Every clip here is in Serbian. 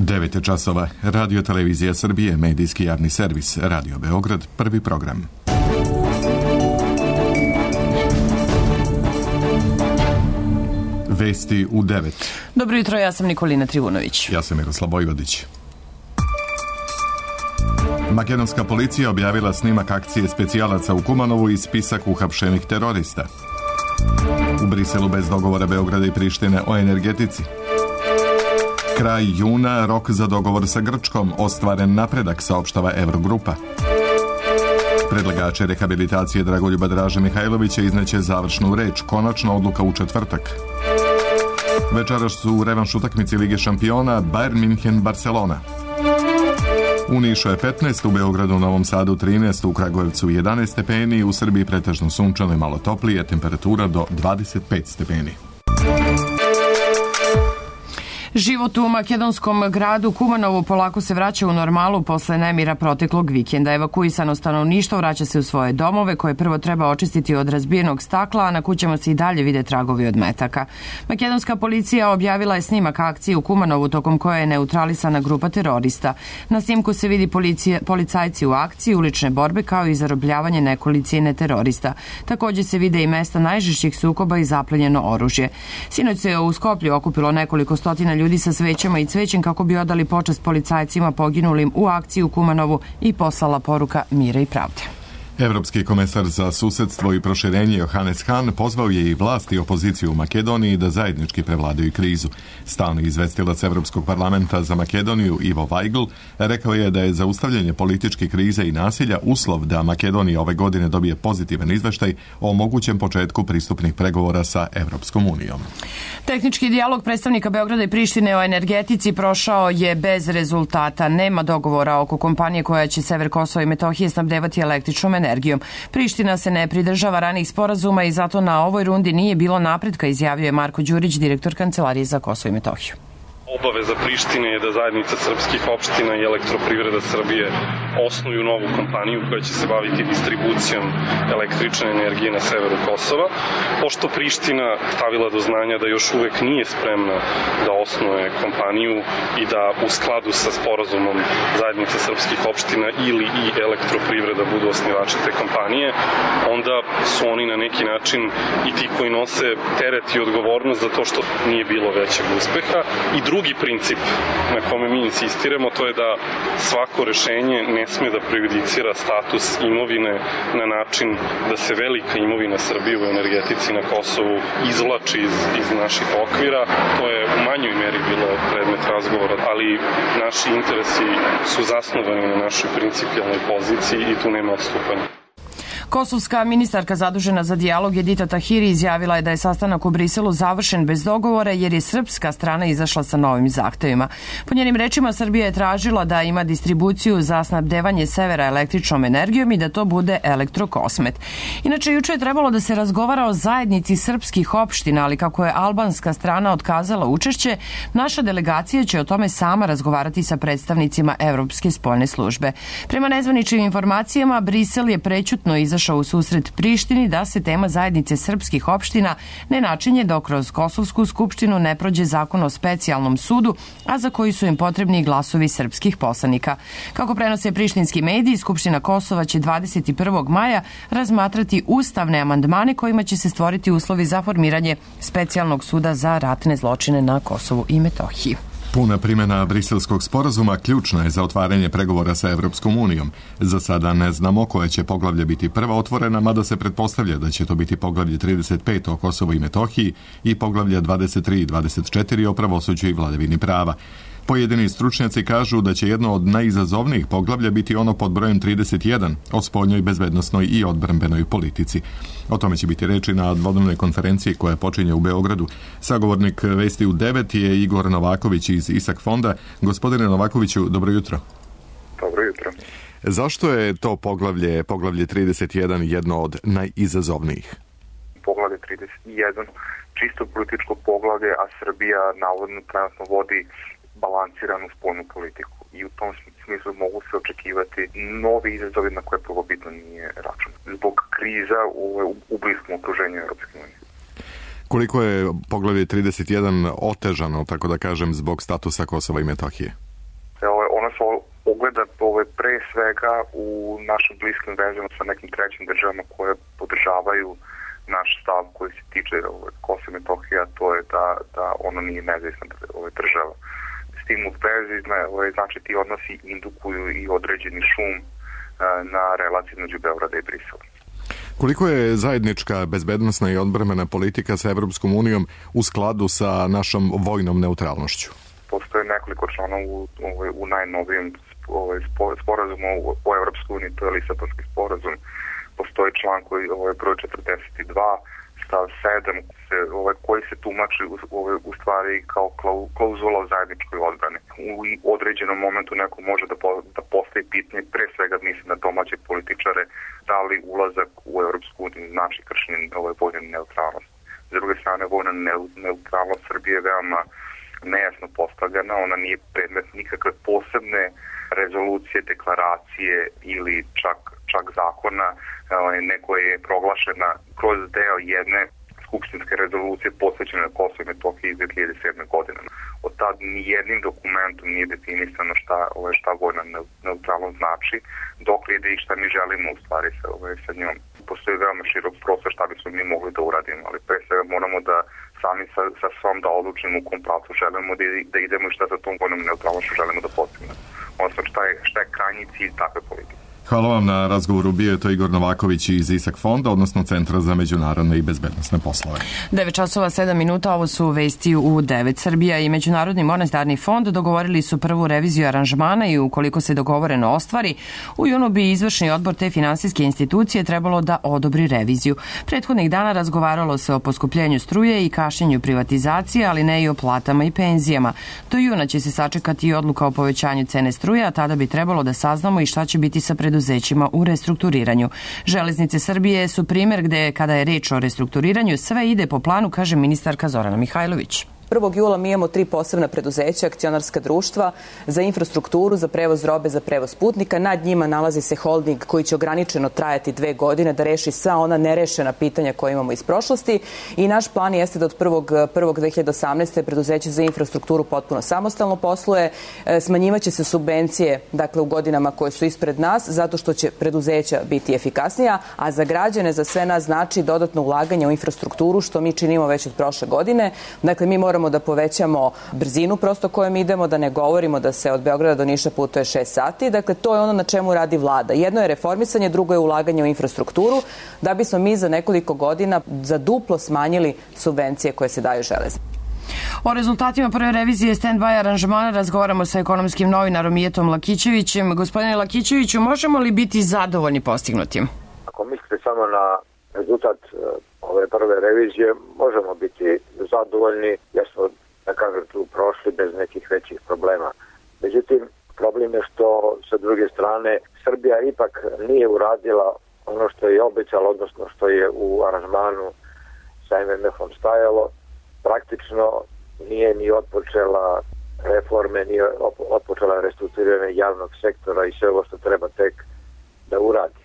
9 časova. Radio Televizija Srbije, medijski javni servis, Radio Beograd, prvi program. Vesti u 9. Dobro jutro, ja sam Nikolina Trivunović. Ja sam Miroslav Vojvodić. Makedonska policija objavila snimak akcije specijalaca u Kumanovu i spisak uhapšenih terorista. U Briselu bez dogovora Beograda i Prištine o energetici. Kraj juna, rok za dogovor sa Grčkom, ostvaren napredak, saopštava Evrogrupa. Predlagači rehabilitacije Dragoljuba Draže Mihajlovića izneće završnu reč, konačna odluka u četvrtak. Večeras su u revanš utakmici Lige šampiona Bayern München Barcelona. U Nišu je 15, u Beogradu, Novom Sadu 13, u Kragujevcu 11 stepeni, u Srbiji pretežno sunčano i malo toplije, temperatura do 25 stepeni. Život u makedonskom gradu Kumanovu polako se vraća u normalu posle nemira proteklog vikenda. Evakuisano stanovništvo vraća se u svoje domove koje prvo treba očistiti od razbijenog stakla, a na kućama se i dalje vide tragovi od metaka. Makedonska policija objavila je snimak akcije u Kumanovu tokom koje je neutralisana grupa terorista. Na snimku se vidi policajci u akciji, ulične borbe kao i zarobljavanje nekolicine terorista. Također se vide i mesta najžešćih sukoba i zaplenjeno oružje. Sinoć se u Skoplju okupilo nekoliko stotina ljudi sa svećama i cvećem kako bi odali počast policajcima poginulim u akciji u Kumanovu i poslala poruka mira i pravde. Evropski komesar za susedstvo i proširenje Johannes Hahn pozvao je i vlast i opoziciju u Makedoniji da zajednički prevladaju krizu. Stalni izvestilac Evropskog parlamenta za Makedoniju Ivo Weigl rekao je da je zaustavljanje političke krize i nasilja uslov da Makedonija ove godine dobije pozitivan izveštaj o mogućem početku pristupnih pregovora sa Evropskom unijom. Tehnički dijalog predstavnika Beograda i Prištine o energetici prošao je bez rezultata. Nema dogovora oko kompanije koja će sever Kosova i Metohije snabdevati električnom energijom. Priština se ne pridržava ranih sporazuma i zato na ovoj rundi nije bilo napretka, izjavio je Marko Đurić, direktor Kancelarije za Kosovo i Metohiju. Obaveza Prištine je da zajednica srpskih opština i Elektroprivreda Srbije osnuju novu kompaniju koja će se baviti distribucijom električne energije na severu Kosova. Pošto Priština stavila do znanja da još uvek nije spremna da osnuje kompaniju i da u skladu sa sporazumom zajednice srpskih opština ili i Elektroprivreda budu osnivači te kompanije, onda su oni na neki način i ti koji nose teret i odgovornost za to što nije bilo većeg uspeha. I drugi princip na kome mi insistiramo, to je da svako rešenje ne sme da prejudicira status imovine na način da se velika imovina Srbije u energetici na Kosovu izvlači iz naših okvira. To je u manjoj meri bilo predmet razgovora, ali naši interesi su zasnovani na našoj principijalnoj poziciji i tu nema odstupanja. Kosovska ministarka zadužena za dijalog Edita Tahiri izjavila je da je sastanak u Briselu završen bez dogovora jer je srpska strana izašla sa novim zahtevima. Po njenim rečima, Srbija je tražila da ima distribuciju za snabdevanje severa električnom energijom i da to bude Elektrokosmet. Inače, juče je trebalo da se razgovara o zajednici srpskih opština, ali kako je albanska strana otkazala učešće, naša delegacija će o tome sama razgovarati sa predstavnicima Evropske spoljne službe. Prema nezvaničnim informacijama, Brisel je prećutno izašao u susret Prištini da se tema zajednice srpskih opština ne načinje dok kroz Kosovsku skupštinu ne prođe zakon o specijalnom sudu, a za koji su im potrebni glasovi srpskih poslanika. Kako prenose prištinski mediji, Skupština Kosova će 21. maja razmatrati ustavne amandmane kojima će se stvoriti uslovi za formiranje specijalnog suda za ratne zločine na Kosovu i Metohiji. Puna primjena briselskog sporazuma ključna je za otvaranje pregovora sa Evropskom unijom. Za sada ne znamo koje će poglavlje biti prva otvorena, mada se pretpostavlja da će to biti poglavlje 35 o Kosovu i Metohiji i poglavlje 23 i 24 o pravosuđu i vladavini prava. Pojedini stručnjaci kažu da će jedno od najizazovnijih poglavlja biti ono pod brojem 31 o spoljnoj, bezbednosnoj i odbrambenoj politici. O tome će biti reči na dvodnevnoj konferenciji koja počinje u Beogradu. Sagovornik Vesti u 9 je Igor Novaković iz ISAK fonda. Gospodine Novakoviću, dobro jutro. Dobro jutro. Zašto je to poglavlje 31 jedno od najizazovnijih? Poglavlje 31 čisto političko poglavlje, a Srbija navodno trenutno vodi balansiranu spoljnu politiku i u tom smislu mogu se očekivati novi izazovi na koje prvobitno nije račun. Zbog kriza u bliskom okruženju Europske unije. Koliko je poglavlje 31 otežano, tako da kažem, zbog statusa Kosova i Metohije? ogleda pre svega u našim bliskim vezama sa nekim trećim državama koje podržavaju naš stav koji se tiče Kosova i Metohije, a to je da ono nije nezavisna država. S tim u vezi, znači ti odnosi indukuju i određeni šum na relaciji između Beograda i Brisela. Koliko je zajednička bezbednosna i odbrambena politika sa Evropskom unijom u skladu sa našom vojnom neutralnošću? Postoje nekoliko člana u najnovijem sporazumu o Evropskoj uniji, to je Lisabonski sporazum. Postoji član koji je broj 42, stav 7, koji se tumači u stvari kao klauzula o zajedničkoj odbrani. U određenom momentu neko može da postavi pitanje, pre svega mislim na domaće političare, da li ulazak u Evropsku uniju znači kršenje vojne neutralnosti. S druge strane, vojna neutralnost Srbije je veoma nejasno postavljena, ona nije predmet nikakve posebne rezolucije, deklaracije ili čak zakona, neko je proglašena kroz deo jedne skupštinske rezolucije posvećene Kosovo i Metohiji iz 2007. godine. Od tad nijednim dokumentom nije definisano šta vojna neutralnost znači, dok ide i šta mi želimo u stvari sa njom. Postoji veoma širok prostor šta bismo mi mogli da uradimo, ali pre svega moramo da sami sa svom da odlučimo u kom pravcu želimo da idemo i šta za tom vojnom neutralnošću želimo da postignemo. Odnosno šta je krajnji cilj takve politike. Hvala vam na razgovoru. Bio je to Igor Novaković iz ISAK fonda, odnosno Centra za međunarodne i bezbednosne poslove. 9:07, ovo su vesti u 9. Srbija i Međunarodni monetarni fond dogovorili su prvu reviziju aranžmana i ukoliko se dogovoreno ostvari, u junu bi izvršni odbor te finansijske institucije trebalo da odobri reviziju. Prethodnih dana razgovaralo se o poskupljenju struje i kašnjenju privatizacije, ali ne i o platama i penzijama. Do juna će se sačekati i odluka o povećanju cene struje, a tada bi trebalo da saznamo i šta će biti sa preduzećima u restrukturiranju. Železnice Srbije su primer gde, kada je reč o restrukturiranju, sve ide po planu, kaže ministarka Zorana Mihajlović. 1. jula mi imamo 3 posebna preduzeća, akcionarska društva za infrastrukturu, za prevoz robe, za prevoz putnika. Nad njima nalazi se holding koji će ograničeno trajati 2 godine da reši sva ona nerešena pitanja koje imamo iz prošlosti i naš plan jeste da od 1.1.2018. preduzeće za infrastrukturu potpuno samostalno posluje. Smanjivaće se subvencije, dakle u godinama koje su ispred nas, zato što će preduzeća biti efikasnija, a za građane, za sve nas znači dodatno ulaganje u infrastrukturu, što mi činimo već od prošle godine. Dakle, mi moramo da povećamo brzinu prosto kojom idemo, da ne govorimo da se od Beograda do Niša putuje 6 sati. Dakle, to je ono na čemu radi vlada. Jedno je reformisanje, drugo je ulaganje u infrastrukturu, da bismo mi za nekoliko godina za duplo smanjili subvencije koje se daju železnici. O rezultatima prve revizije stand-by aranžmana razgovaramo sa ekonomskim novinarom Mijetom Lakićevićem. Gospodine Lakićeviću, možemo li biti zadovoljni postignutim? Ako mislite samo na rezultat ove prve revizije, možemo biti zadovoljni jer smo, da kažem, tu prošli bez nekih većih problema. Međutim, problem je što sa druge strane Srbija ipak nije uradila ono što je obećala, odnosno što je u aranžmanu sa MMF-om stajalo. Praktično nije ni otpočela reforme, nije otpočela restrukturiranje javnog sektora i sve ovo što treba tek da uradi.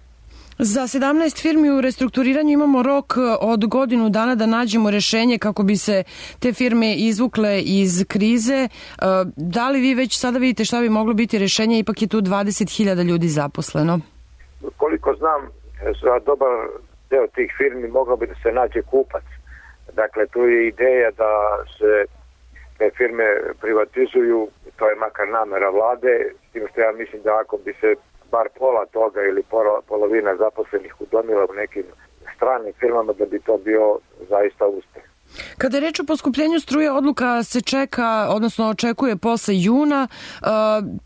Za 17 firmi u restrukturiranju imamo rok od godinu dana da nađemo rešenje kako bi se te firme izvukle iz krize. Da li vi već sada vidite šta bi moglo biti rešenje? Ipak je tu 20.000 ljudi zaposleno. Koliko znam, za dobar deo tih firmi moglo bi da se nađe kupac. Dakle, tu je ideja da se te firme privatizuju, to je makar namera vlade, s tim što ja mislim da ako bi se bar pola toga ili polovina zaposlenih udomila u nekim stranim firmama, da bi to bio zaista uspeh. Kada je reč o poskupljenju struje, odluka se čeka, odnosno očekuje posle juna.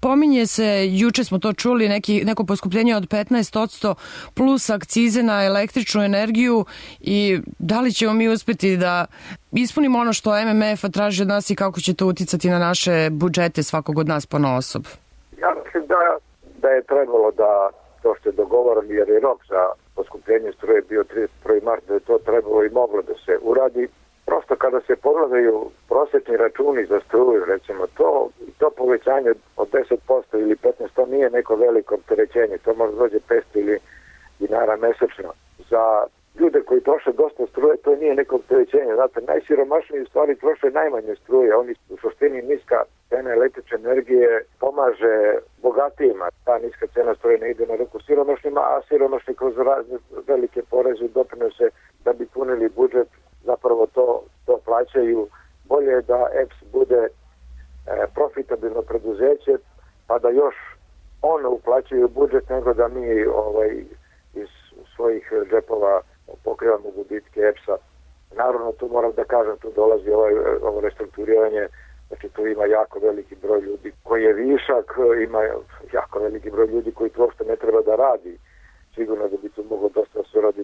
Pominje se, juče smo to čuli, neko poskupljenje od 15% plus akcize na električnu energiju i da li ćemo mi uspeti da ispunimo ono što MMF traži od nas i kako će to uticati na naše budžete svakog od nas ponaosob? Ja mislim da je trebalo da to što je dogovoreno, jer je rok za poskupljenje struje bio 31. marta, da je to trebalo i moglo da se uradi. Prosto kada se pogledaju prosječni računi za struju, recimo to povećanje od 10% ili 15%, to nije neko veliko opterećenje, to možda dođe 500 ili dinara mesečno. Za ljude koji troše dosta struje, to nije neko opterećenje. Znate, najsiromašniji u stvari troše najmanje struje, oni u suštini niska cena električne energije pomaže bogatijima. Ta niska cena struje ne ide na ruku siromašnima, a siromašni kroz razne velike poreze i doprinose da bi punili budžet, zapravo to plaćaju. Bolje je da EPS bude profitabilno preduzeće, pa da još ono uplaćaju budžet nego da mi iz svojih džepova pokrivamo gubitke EPS-a. Naravno, tu moram da kažem, tu dolazi ovo restrukturiranje, znači tu ima jako veliki broj ljudi koji je višak, ima jako veliki broj ljudi koji tu uopšte ne treba da radi. Sigurno da bi tu moglo dosta se uradi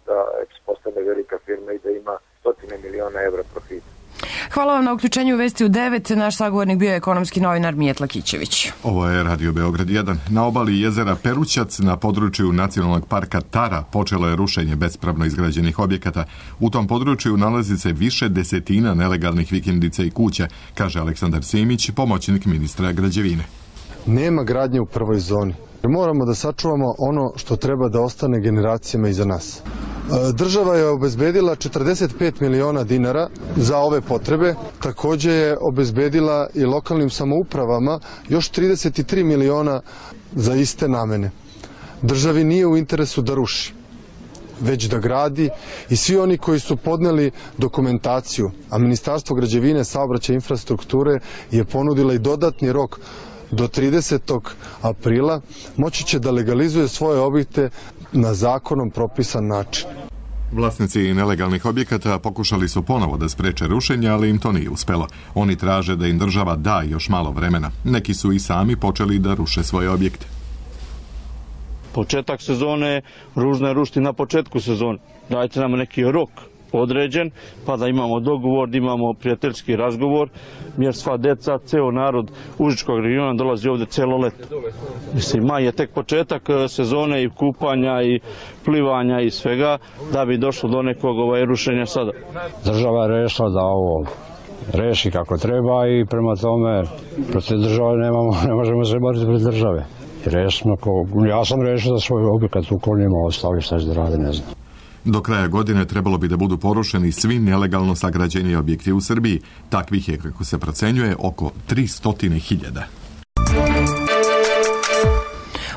da EPS postane velika firma i da ima 100 miliona evra profita. Hvala vam na uključenju u Vesti u 9. Naš sagovornik bio je ekonomski novinar Mijetla Kićević. Ovo je Radio Beograd 1. Na obali jezera Perućac na području Nacionalnog parka Tara počelo je rušenje bespravno izgrađenih objekata. U tom području nalazi se više desetina nelegalnih vikendica i kuća, kaže Aleksandar Simić, pomoćnik ministra građevine. Nema gradnje u prvoj zoni. Moramo da sačuvamo ono što treba da ostane generacijama iza nas. Država je obezbedila 45 miliona dinara za ove potrebe. Takođe je obezbedila i lokalnim samoupravama još 33 miliona za iste namene. Državi nije u interesu da ruši, već da gradi, i svi oni koji su podneli dokumentaciju, a Ministarstvo građevine, saobraćaja i infrastrukture je ponudila i dodatni rok do 30. aprila, moći će da legalizuje svoje objekte na zakonom propisan način. Vlasnici nelegalnih objekata pokušali su ponovo da spreče rušenje, ali im to nije uspelo. Oni traže da im država da još malo vremena. Neki su i sami počeli da ruše svoje objekte. Početak sezone, ružno je rušiti na početku sezone. Dajte nam neki rok određen, pa da imamo dogovor, da imamo prijateljski razgovor, jer sva deca, ceo narod Užičkog regiona dolazi ovde celo leto. Mislim, maj je tek početak sezone i kupanja i plivanja i svega, da bi došlo do nekog rušenja sada. Država je rešila da ovo reši kako treba i prema tome protiv države ne možemo se boriti protiv države. Ja sam rešio da svoj objekat uklonimo, ostali šta će da rade, ne znam. Do kraja godine trebalo bi da budu porušeni svi nelegalno sagrađeni objekti u Srbiji. Takvih je, kako se procenjuje, oko 300.000.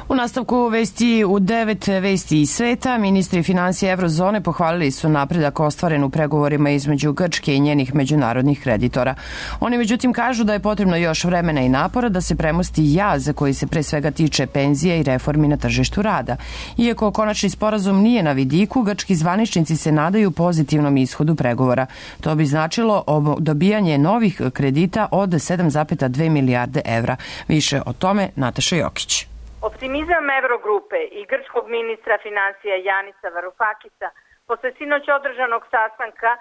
U nastavku Vesti u 9, Vesti iz sveta, ministri finansija Eurozone pohvalili su napredak ostvaren u pregovorima između Grčke i njenih međunarodnih kreditora. Oni međutim kažu da je potrebno još vremena i napora da se premosti jaz koji se pre svega tiče penzija i reformi na tržištu rada. Iako konačni sporazum nije na vidiku, grčki zvaničnici se nadaju pozitivnom ishodu pregovora. To bi značilo dobijanje novih kredita od 7,2 milijarde evra. Više o tome Nataša Jokić. Optimizam Eurogrupe i grčkog ministra finansija Janisa Varoufakisa posle sinoć održanog sastanka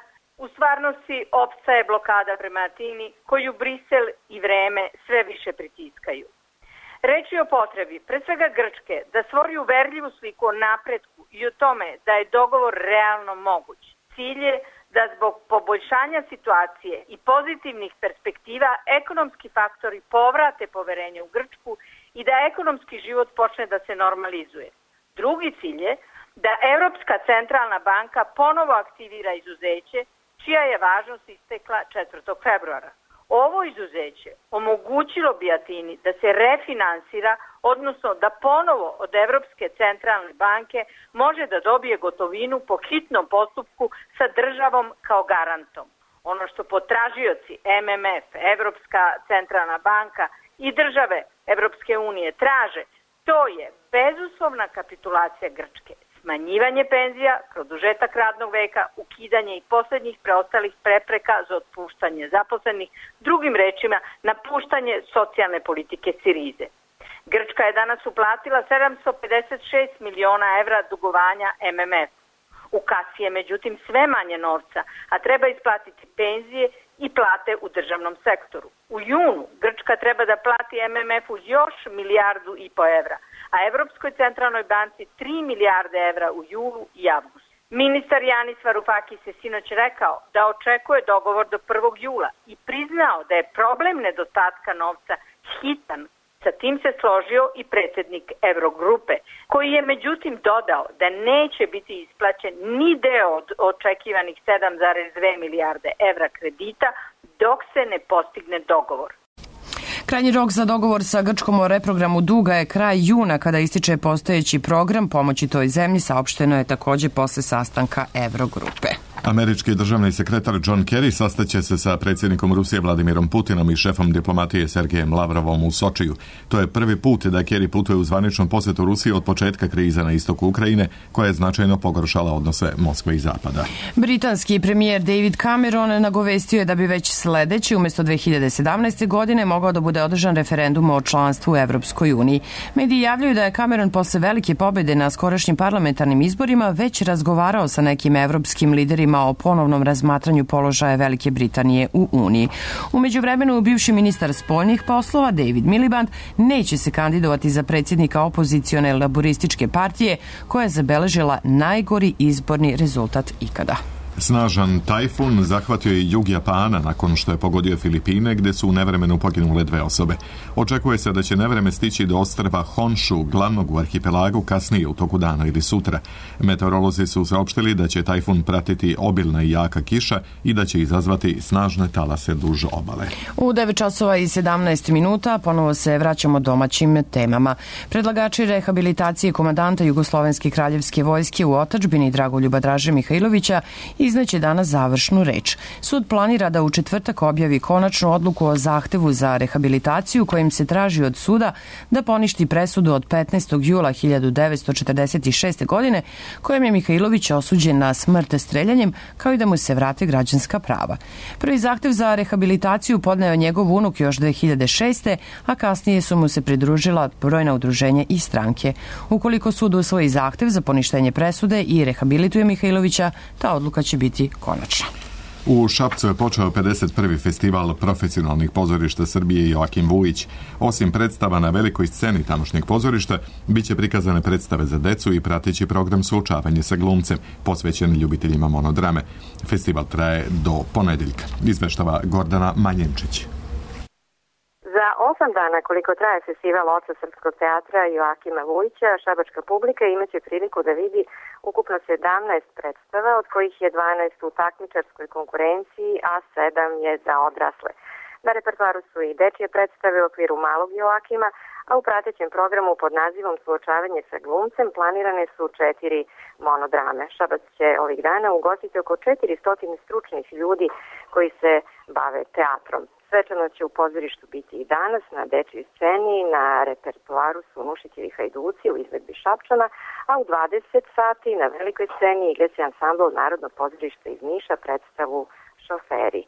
u stvarnosti opstaje blokada prema Atini koju Brisel i vreme sve više pritiskaju. Reč je o potrebi, pre svega Grčke, da stvori uverljivu sliku o napretku i o tome da je dogovor realno moguć. Cilj je da zbog poboljšanja situacije i pozitivnih perspektiva ekonomski faktori povrate poverenje u Grčku i da ekonomski život počne da se normalizuje. Drugi cilj je da Evropska centralna banka ponovo aktivira izuzeće, čija je važnost istekla 4. februara. Ovo izuzeće omogućilo bi Atini da se refinansira, odnosno da ponovo od Evropske centralne banke može da dobije gotovinu po hitnom postupku sa državom kao garantom. Ono što potražioci MMF, Evropska centralna banka i države Evropske unije traže, to je bezuslovna kapitulacija Grčke, smanjivanje penzija, produžetak radnog veka, ukidanje i poslednjih preostalih prepreka za otpuštanje zaposlenih, drugim rečima napuštanje socijalne politike Sirize. Grčka je danas uplatila 756 miliona evra dugovanja MMF. U kasi je međutim sve manje novca, a treba isplatiti penzije i plate u državnom sektoru. U junu Grčka treba da plati MMF-u još 1,5 milijardu evra, a Evropskoj centralnoj banci 3 milijarde evra u julu i avgustu. Ministar Janis Varoufakis je sinoć rekao da očekuje dogovor do 1. jula i priznao da je problem nedostatka novca hitan. Sa tim se složio i predsjednik Eurogrupe, koji je međutim dodao da neće biti isplaćen ni deo od očekivanih 7,2 milijarde evra kredita dok se ne postigne dogovor. Krajnji rok za dogovor sa Grčkom o reprogramu duga je kraj juna, kada ističe postojeći program pomoći toj zemlji, saopšteno je takođe posle sastanka Evrogrupe. Američki državni sekretar John Kerry sastaće se sa predsjednikom Rusije Vladimirom Putinom i šefom diplomatije Sergejem Lavrovom u Sočiju. To je prvi put da Kerry putuje u zvaničnom posjetu Rusiji od početka krize na istoku Ukrajine, koja je značajno pogoršala odnose Moskve i Zapada. Britanski premijer David Cameron nagovestio je da bi već sledeći, umjesto 2017. godine, mogao da bude održan referendum o članstvu u Evropskoj uniji. Mediji javljaju da je Cameron posle velike pobjede na skorašnjim parlamentarnim izborima već razgovarao sa nekim evropskim liderima o ponovnom razmatranju položaja Velike Britanije u Uniji. U međuvremenu, bivši ministar spoljnih poslova David Miliband neće se kandidovati za predsjednika opozicione laborističke partije, koja je zabeležila najgori izborni rezultat ikada. Snažan tajfun zahvatio je jug Japana nakon što je pogodio Filipine, gde su u nevremenu poginule 2 osobe. Očekuje se da će nevreme stići do ostrva Honshu, glavnog u arhipelagu, kasnije u toku dana ili sutra. Meteorolozi su saopštili da će tajfun pratiti obilna i jaka kiša i da će izazvati snažne talase duž obale. U 9 časova i 17 minuta ponovo se vraćamo domaćim temama. Predlagači rehabilitacije komandanta Jugoslovenske kraljevske vojske u otadžbini Dragoljuba Draže Mihajlovića izneće danas završnu reč. Sud planira da u četvrtak objavi konačnu odluku o zahtevu za rehabilitaciju, kojim se traži od suda da poništi presudu od 15. jula 1946. godine, kojom je Mihajlović osuđen na smrt streljanjem, kao i da mu se vrate građanska prava. Prvi zahtev za rehabilitaciju podneo njegov unuk još 2006. a kasnije su mu se pridružila brojna udruženja i stranke. Ukoliko sud usvoji zahtev za poništenje presude i rehabilituje Mihajlovića, ta odluka će biti konačna. U Šapcu je počeo 51. festival profesionalnih pozorišta Srbije Joakim Vujić. Osim predstava na velikoj sceni tamošnjeg pozorišta, bit će prikazane predstave za decu i prateći program suočavanje sa glumcem, posvećen ljubiteljima monodrame. Festival traje do ponedeljka. Izveštava Gordana Manjenčić. Za 8 dana koliko traje festival Oca srpskog teatra Joakima Vujića, šabačka publika imaće priliku da vidi ukupno 17 predstava, od kojih je 12 u takmičarskoj konkurenciji, a 7 je za odrasle. Na repertoaru su i dečije predstave u okviru malog Joakima, a u pratećem programu pod nazivom Suočavanje sa glumcem planirane su 4 monodrame. Šabac će ovih dana ugostiti oko 400 stručnih ljudi koji se bave teatrom. Svečanost će u pozorištu biti i danas na dečjoj sceni, na repertoaru su Nušićevi hajduci u izvedbi Šapčana, a u 20 sati na velikoj sceni igraće ansambl Narodnog pozorišta iz Niša predstavu Šoferi.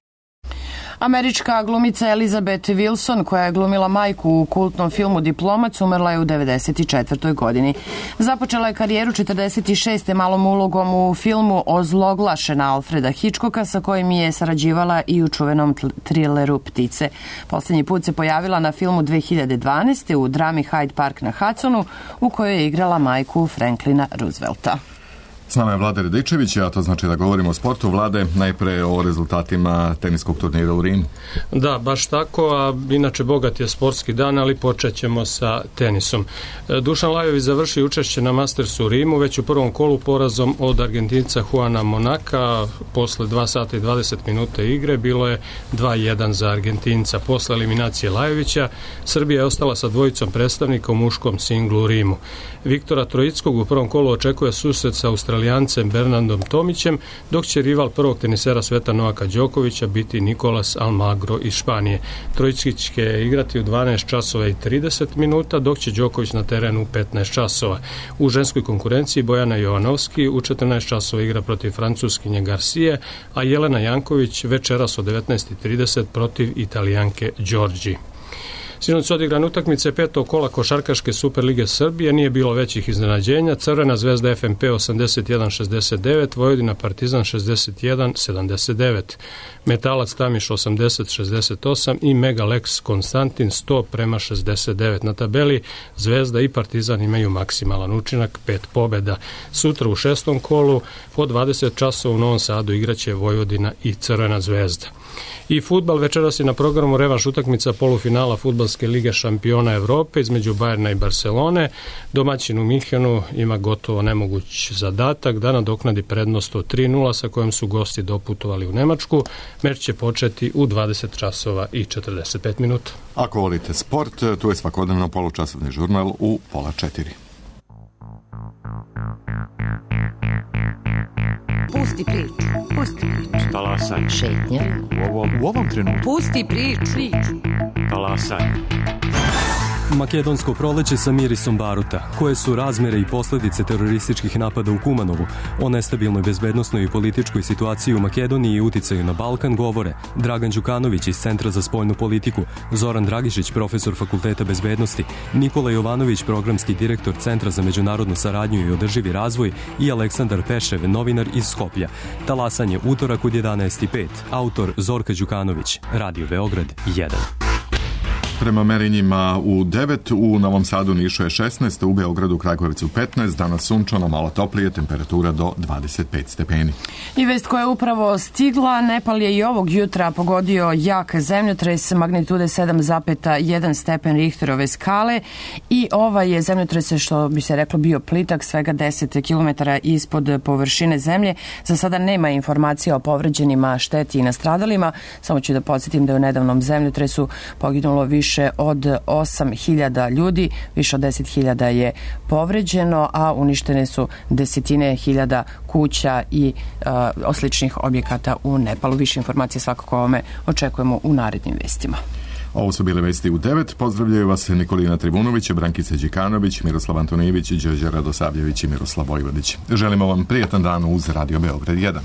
Američka glumica Elizabeth Wilson, koja je glumila majku u kultnom filmu Diplomac, umrla je u 94. godini. Započela je karijeru 46. malom ulogom u filmu Ozloglašena Alfreda Hitchcocka, sa kojim je sarađivala i u čuvenom trileru Ptice. Poslednji put se pojavila na filmu 2012. u drami Hyde Park na Hudsonu, u kojoj je igrala majku Franklina Roosevelta. S nama je Vlada Radičević, a to znači da govorimo o sportu. Vlade, najpre o rezultatima teniskog turnira u Rimu. Da, baš tako, a inače bogat je sportski dan, ali počet ćemo sa tenisom. Dušan Lajović završio učešće na Mastersu u Rimu, već u prvom kolu porazom od Argentinca Juana Monaka. Posle 2 sata i 20 minuta igre bilo je 2-1 za Argentinca. Posle eliminacije Lajovića, Srbija je ostala sa dvojicom predstavnika u muškom singlu u Rimu. Viktora Trojickog u prvom kolu očekuje susret sa Australijancem Bernardom Tomićem, dok će rival prvog tenisera sveta Novaka Đokovića biti Nicolas Almagro iz Španije. Trojicki će igrati u 12 časova i 30 minuta, dok će Đoković na terenu u 15 časova. U ženskoj konkurenciji Bojana Jovanovski u 14 časova igra protiv Francuskinje Garcije, a Jelena Janković večeras od 19:30 protiv Italijanke Đorđi. Sinoć su odigrane utakmice 5. kola Košarkaške Superlige Srbije, nije bilo većih iznenađenja. Crvena Zvezda FNP 81-69, Vojvodina Partizan 61-79, Metalac Tamiš 80-68 i Megalex Konstantin 100:69. Na tabeli Zvezda i Partizan imaju maksimalan učinak, 5 pobjeda. Sutra u 6. kolu po 20 časova u Novom Sadu igraće Vojvodina i Crvena Zvezda. I fudbal, večeras je na programu revanš utakmica polufinala fudbalske fudbalske lige šampiona Evrope između Bajerna i Barcelone. Domaćin u Minhenu ima gotovo nemoguć zadatak da nadoknadi prednost od 3:0 sa kojom su gosti doputovali u Nemačku. Meč će početi u 20 časova i 45 minuta. Ako volite sport, tu je svakodnevno polučasovni žurnal u 3:30. Pusti priču. Pusti priču. Talasaj. Šetnja. U ovom trenutku. Pusti priču. Talasaj. Makedonsko proleće sa mirisom baruta. Koje su razmere i posljedice terorističkih napada u Kumanovu? O nestabilnoj bezbednosnoj i političkoj situaciji u Makedoniji i uticaju na Balkan govore Dragan Đukanović iz Centra za spoljnu politiku, Zoran Dragišić, profesor Fakulteta bezbednosti, Nikola Jovanović, programski direktor Centra za međunarodnu saradnju i održivi razvoj i Aleksandar Pešev, novinar iz Skoplja. Talasanje utorak od 11:05. Autor Zorka Đukanović. Radio Beograd 1. Prema merenjima u 9, u Novom Sadu, Nišu je 16, u Beogradu, Kragujevcu 15, danas sunčano, malo toplije, temperatura do 25 stepeni. I vest koja je upravo stigla, Nepal je i ovog jutra pogodio jak zemljotres magnitude 7,1 stepen Richterove skale i ovaj je zemljotres, što bi se reklo, bio plitak, svega 10 km ispod površine zemlje. Za sada nema informacija o povređenima, šteti i nastradalima. Samo ću da podsjetim da je u nedavnom zemljotresu poginulo više od 8.000 ljudi, više od 10.000 je povređeno, a uništene su desetine hiljada kuća i sličnih objekata u Nepalu. Više informacije svakako ovome očekujemo u narednim vestima. Ovo su bile vesti u 9. Pozdravljaju vas Nikolina Tribunović, Brankica Đikanović, Miroslav Antonijević, Đorđe Radosavljević i Miroslav Vojvodić. Želimo vam prijatan dan uz Radio Beograd 1.